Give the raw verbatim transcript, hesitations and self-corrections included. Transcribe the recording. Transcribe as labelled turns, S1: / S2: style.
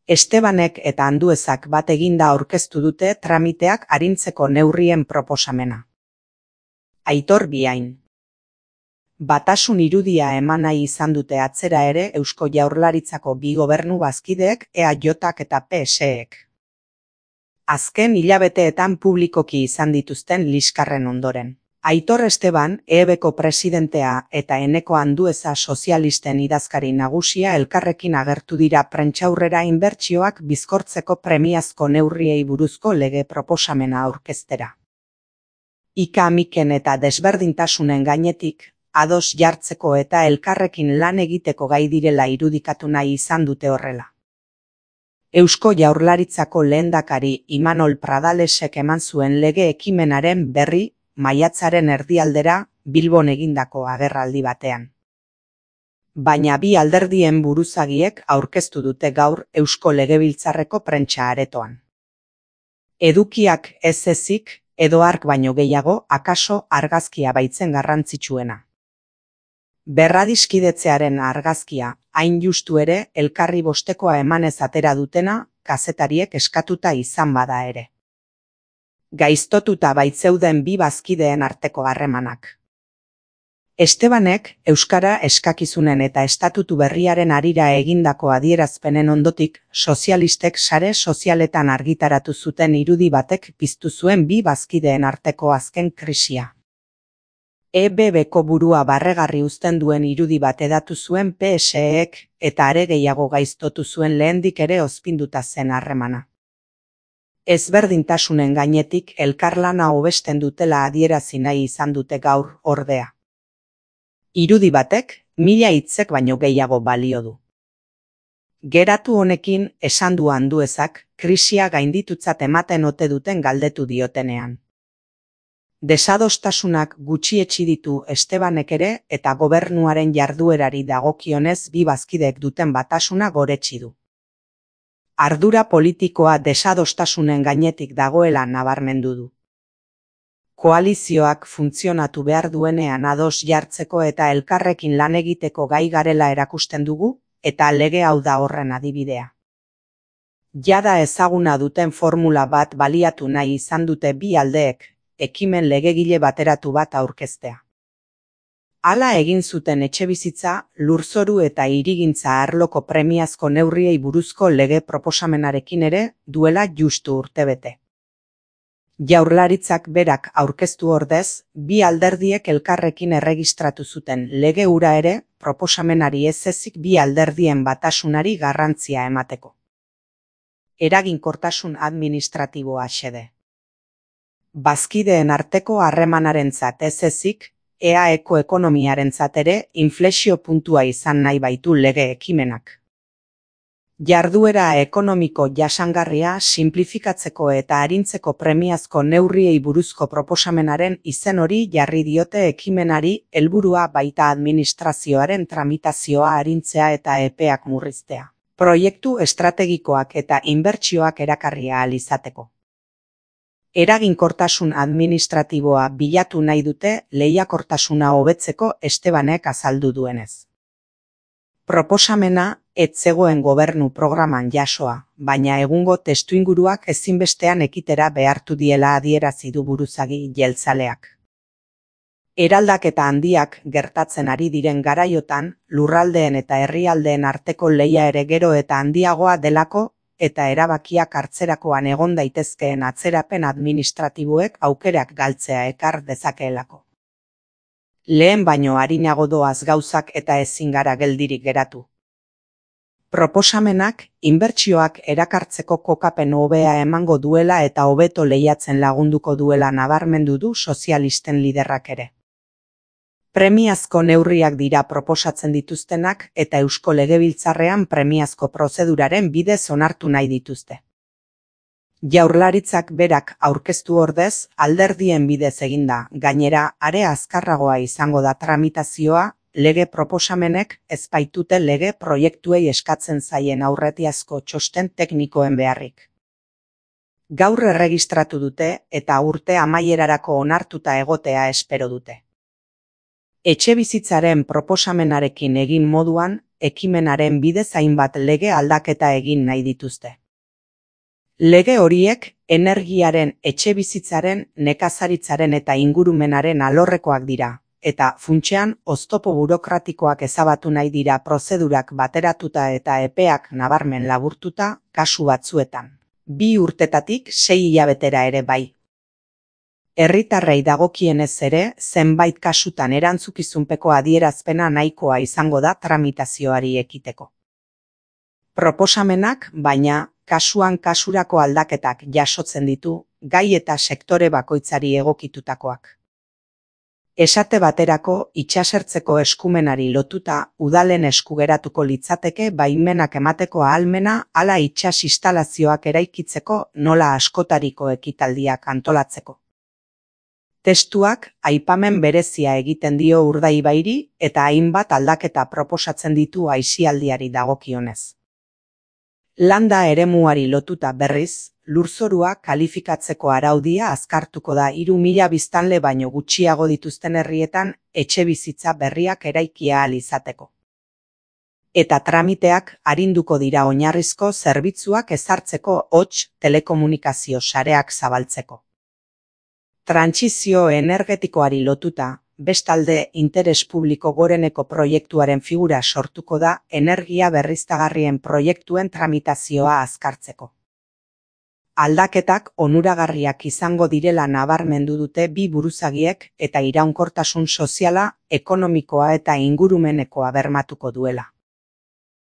S1: Estebanek eta Anduezak bat eginda aurkeztu dute tramiteak arintzeko neurrien proposamena. Aitor Biain. Batasun irudia eman nahi izan dute atzera ere Eusko Jaurlaritzako bi gobernu bazkideek E A Jak eta P S ek. Azken hilabeteetan publikoki izan dituzten liskarren ondoren. Aitor Esteban, E B ko presidentea eta Eneko Andueza sozialisten idazkari nagusia elkarrekin agertu dira prentsaurrera inbertsioak bizkortzeko premiazko neurriei buruzko lege proposamena aurkeztera. Ika-amiken eta desberdintasunen gainetik, ados jartzeko eta elkarrekin lan egiteko gai direla irudikatu nahi izan dute horrela. Eusko Jaurlaritzako lehendakari Imanol Pradalesek eman zuen lege ekimenaren berri maiatzaren erdialdera Bilbon egindako agerraldi batean. Baina bi alderdien buruzagiek aurkeztu dute gaur Eusko Legebiltzarreko prentsa aretoan. Edukiak ez ezik, edo ark baino gehiago, akaso argazkia baitzen garrantzitsuena. Berradiskidetzearen argazkia, hain justu ere, elkarri bostekoa emanez atera dutena, kazetariek eskatuta izan bada ere. Gaiztotuta baitzeuden bi bazkideen arteko harremanak. Estebanek, euskara eskakizunen eta estatutu berriaren harira egindako adierazpenen ondotik, sozialistek sare sozialetan argitaratu zuten irudi batek piztu zuen bi bazkideen arteko azken krisia. E B B-ko burua barregarri uzten duen irudi bat edatu zuen P S ek eta are gehiago gaiztotu zuen lehendik ere ozpinduta zen harremana. Ezberdintasunen gainetik elkarlana hobesten dutela adierazi nahi izan dute gaur ordea. Irudi batek mila hitzek baino gehiago balio du. Geratu honekin esan du Anduezak krisia gainditutzat ematen ote duten galdetu diotenean. Desadostasunak gutxietsi ditu Estebanek ere eta gobernuaren jarduerari dagokionez bi bazkidek duten batasuna goretsi du. Ardura politikoa desadostasunen gainetik dagoela nabarmendu du. Koalizioak funtzionatu behar duenean ados jartzeko eta elkarrekin lan egiteko gai garela erakusten dugu, eta lege hau da horren adibidea. Jada ezaguna duten formula bat baliatu nahi izan dute bi aldeek, ekimen legegile bateratu bat aurkeztea. Hala egin zuten etxebizitza, lurzoru eta hirigintza arloko premiazko neurriei buruzko lege proposamenarekin ere duela justu urtebete. Jaurlaritzak berak aurkeztu ordez, bi alderdiek elkarrekin erregistratu zuten lege hura ere proposamenari ez ezik bi alderdien batasunari garrantzia emateko. Eraginkortasun administratiboa xede. Bazkideen arteko harremanarentzat ez ezik, E A eko ekonomiarentzat ere inflexio puntua izan nahi baitu lege ekimenak. Jarduera ekonomiko jasangarria sinplifikatzeko eta arintzeko premiazko neurriei buruzko proposamenaren izen hori jarri diote ekimenari, helburua baita administrazioaren tramitazioa arintzea eta epeak murriztea. Proiektu estrategikoak eta inbertsioak erakarria ahal izateko. Eraginkortasun administratiboa bilatu nahi dute lehiakortasuna hobetzeko Estebanek azaldu duenez. Proposamena ez zegoen gobernu programan jasoa, baina egungo testuinguruak ezinbestean ekitera behartu diela adierazi du buruzagi jeltzaleak. Eraldaketa handiak gertatzen ari diren garaiotan, lurraldeen eta herrialdeen arteko lehia ere gero eta handiagoa delako, eta erabakiak hartzerakoan egon daitezkeen atzerapen administratiboek aukerak galtzea ekar dezakeelako. Lehen baino arinago doaz gauzak eta ezin gara geldirik geratu. Proposamenak inbertsioak erakartzeko kokapen hobea emango duela eta hobeto lehiatzen lagunduko duela nabarmendu du sozialisten liderrak ere. Premiazko neurriak dira proposatzen dituztenak eta Eusko Legebiltzarrean premiazko prozeduraren bidez onartu nahi dituzte. Jaurlaritzak berak aurkeztu ordez, alderdien bidez eginda, gainera are azkarragoa izango da tramitazioa, lege proposamenek ez baitute lege proiektuei eskatzen zaien aurretiazko txosten teknikoen beharrik. Gaur erregistratu dute eta urte amaierarako onartuta egotea espero dute. Etxebizitzaren proposamenarekin egin moduan, ekimenaren bidez hainbat lege aldaketa egin nahi dituzte. Lege horiek energiaren, etxebizitzaren, nekazaritzaren eta ingurumenaren alorrekoak dira, eta funtsean oztopo burokratikoak ezabatu nahi dira prozedurak bateratuta eta epeak nabarmen laburtuta kasu batzuetan. Bi urtetatik sei hilabetera ere bai. Herritarrei dagokienez ere, zenbait kasutan erantzukizunpeko adierazpena nahikoa izango da tramitazioari ekiteko. Proposamenak, baina, kasuan kasurako aldaketak jasotzen ditu, gai eta sektore bakoitzari egokitutakoak. Esate baterako, itsasertzeko eskumenari lotuta, udalen esku geratuko litzateke baimenak emateko ahalmena hala itsas instalazioak eraikitzeko nola askotariko ekitaldiak antolatzeko. Testuak aipamen berezia egiten dio Urdaibairi eta hainbat aldaketa proposatzen ditu aisialdiari dagokionez. Landa eremuari lotuta berriz, lurzorua kalifikatzeko araudia azkartuko da hiru mila biztanle baino gutxiago dituzten herrietan etxebizitza berriak eraikia ahal izateko. Eta tramiteak arinduko dira oinarrizko zerbitzuak ezartzeko hots telekomunikazio sareak zabaltzeko. Trantsizio energetikoari lotuta, bestalde interes publiko goreneko proiektuaren figura sortuko da energia berriztagarrien proiektuen tramitazioa azkartzeko. Aldaketak onuragarriak izango direla nabarmendu dute bi buruzagiek eta iraunkortasun soziala, ekonomikoa eta ingurumenekoa bermatuko duela.